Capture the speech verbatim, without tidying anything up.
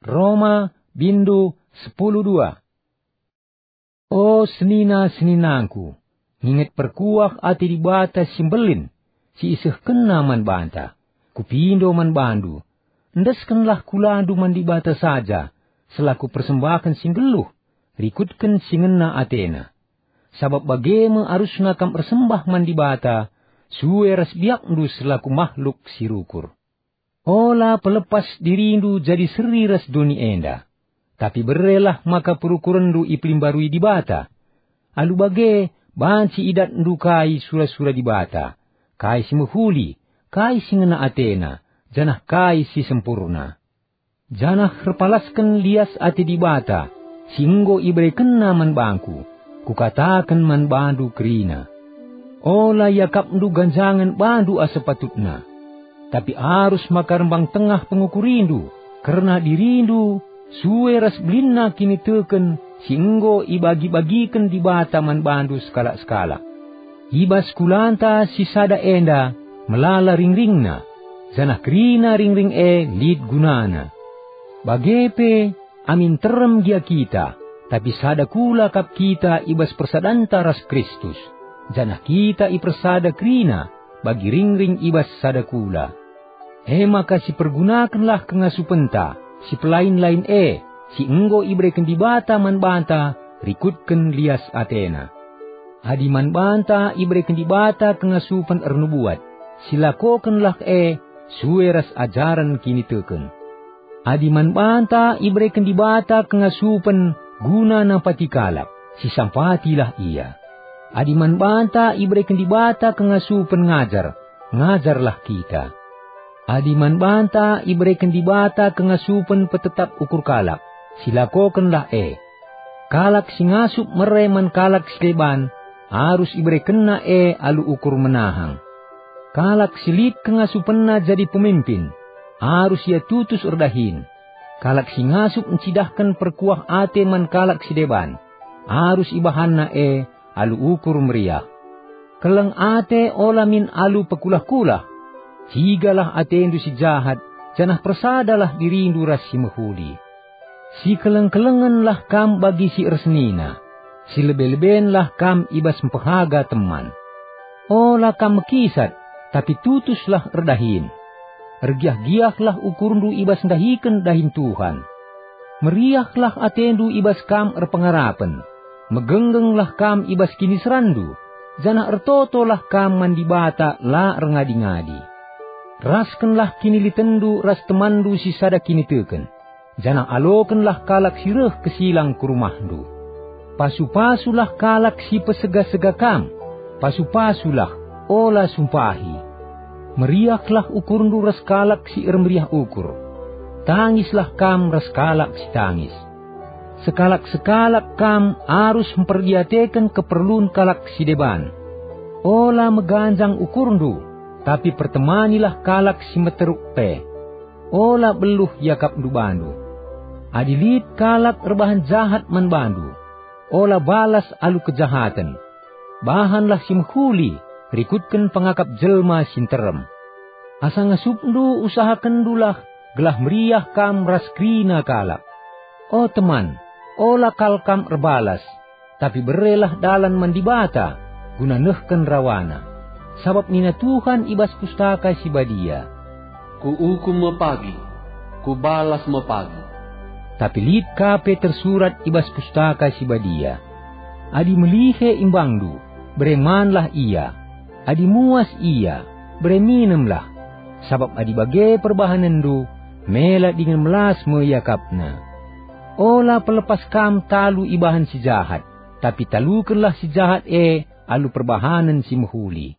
Roma, bindu sepuluh dua. O senina-seninangku, nginget perkuah ate Dibata si mbelin, si isehkenNa man banta, kupindo man bandu, endeskenlah kulandu man Dibata saja selaku persembahen si nggeluh, rikutken si ngena ateNa. Sabap bage me arusna kam ersembah man Dibata, sue ras biakndu selaku mahluk si rukur. Ola pelepas dirindu jadi seri ras doni enda, tapi berelah maka perukurenndu ipelimbarui Dibata. Alu bage, banci idatndu kai sura-sura Dibata, kai si mehuli, kai si ngena ateNa, janah kai si sempurna. Janah erpalasken lias ate Dibata, si enggo iberekenNa man bangku, kukataken man bandu kerina. Ola iakapndu ganjangen bandu asa patutna, tapi arus maka rembang tengah pengukurindu kerna dirindu, sue ras belinna kiniteken si enggo ibagi-bagiken Dibata man bandu sekalak-sekalak. I bas kulanta si sada enda melala ringringna, janah kerina ringring e lit gunana. Bage pe, amin terem gia kita, tapi sada kula kap kita i bas persadanta ras Kristus, janah kita ipersada kerina bagi ringring i bas sada kula. E maka sipergunakenlah kengasupenta si pelain-lain e, si enggo ibereken Dibata man banta rikutken lias ateNa. Adi man banta ibereken Dibata kengasupen ernubuat, silakokenlah e sue ras ajaren kiniteken. Adi man banta ibereken Dibata kengasupen guna nampati kalak, sisampatilah ia. Adi man banta ibereken Dibata kengasupen ngajar, ngajarlah kita. Adi man banta ibereken Dibata kengasupen petetap ukur kalak, silakokenlah e. Kalak si ngasup mere man kalak si deban, arus iberekenna e alu ukur menahang. Kalak si lit kengasupenna jadi pemimpin, arus ia tutus erdahin. Kalak si ngasup ncidahken perkuah ate man kalak si deban, arus ibahanna e alu ukur meriah. Keleng ate ola min alu pekulah-kulah. Cigalah atendu si jahat, janah persadalah dirindu ras si mehuli. Sikeleng-kelengenlah kam bagi si ersenina, silebe-lebenlah kam i bas mpehaga teman. Ola kam mekisat, tapi tutuslah erdahin. Ergiah-giahlah ukurndu i bas ndahiken dahin Tuhan. Meriahlah atendu i bas kam erpengarapen, megenggenglah kam i bas kiniseranndu, janah ertotolah kam man Dibata la erngadi-ngadi. Raskenlah kinilitenndu ras temanndu si sada kiniteken, janah alokenlah kalak si reh kesilang ku rumahndu. Pasu-pasulah kalak si pesega-sega kam, pasu-pasulah, ola sumpahi. Meriahlah ukurndu ras kalak si ermeriah ukur. Tangislah kam ras kalak si tangis. Sekalak-sekalak kam arus mperdiateken keperlun kalak si deban. Ola meganjang ukurndu, tapi pertemanilah kalak si meteruk pe. Ola beluh iakapndu bandu. Adi lit kalak erbahan jahat man bandu, ola balas alu kejahaten. Bahanlah si mehuli, rikutken pengakap jelma si nterem. Asa ngasupndu usahakenndulah gelah meriah kam ras kerina kalak. O teman, ola kal kam erbalas, tapi berelah dalan man Dibata guna nehken rawaNa. Sabap nina Tuhan i bas Pustaka Si Badia, "Kuukum me pagi, Kubalas me pagi." Tapi lit ka pe tersurat i bas Pustaka Si Badia, "Adi melihe imbangndu, bere manlah ia. Adi muas ia, bere minemlah. Sabap adi bage perbahanenndu, mela dingen melas me iakapna." Ola pelepas kam talu ibahan si jahat, tapi talukenlah si jahat e alu perbahanen si mehuli.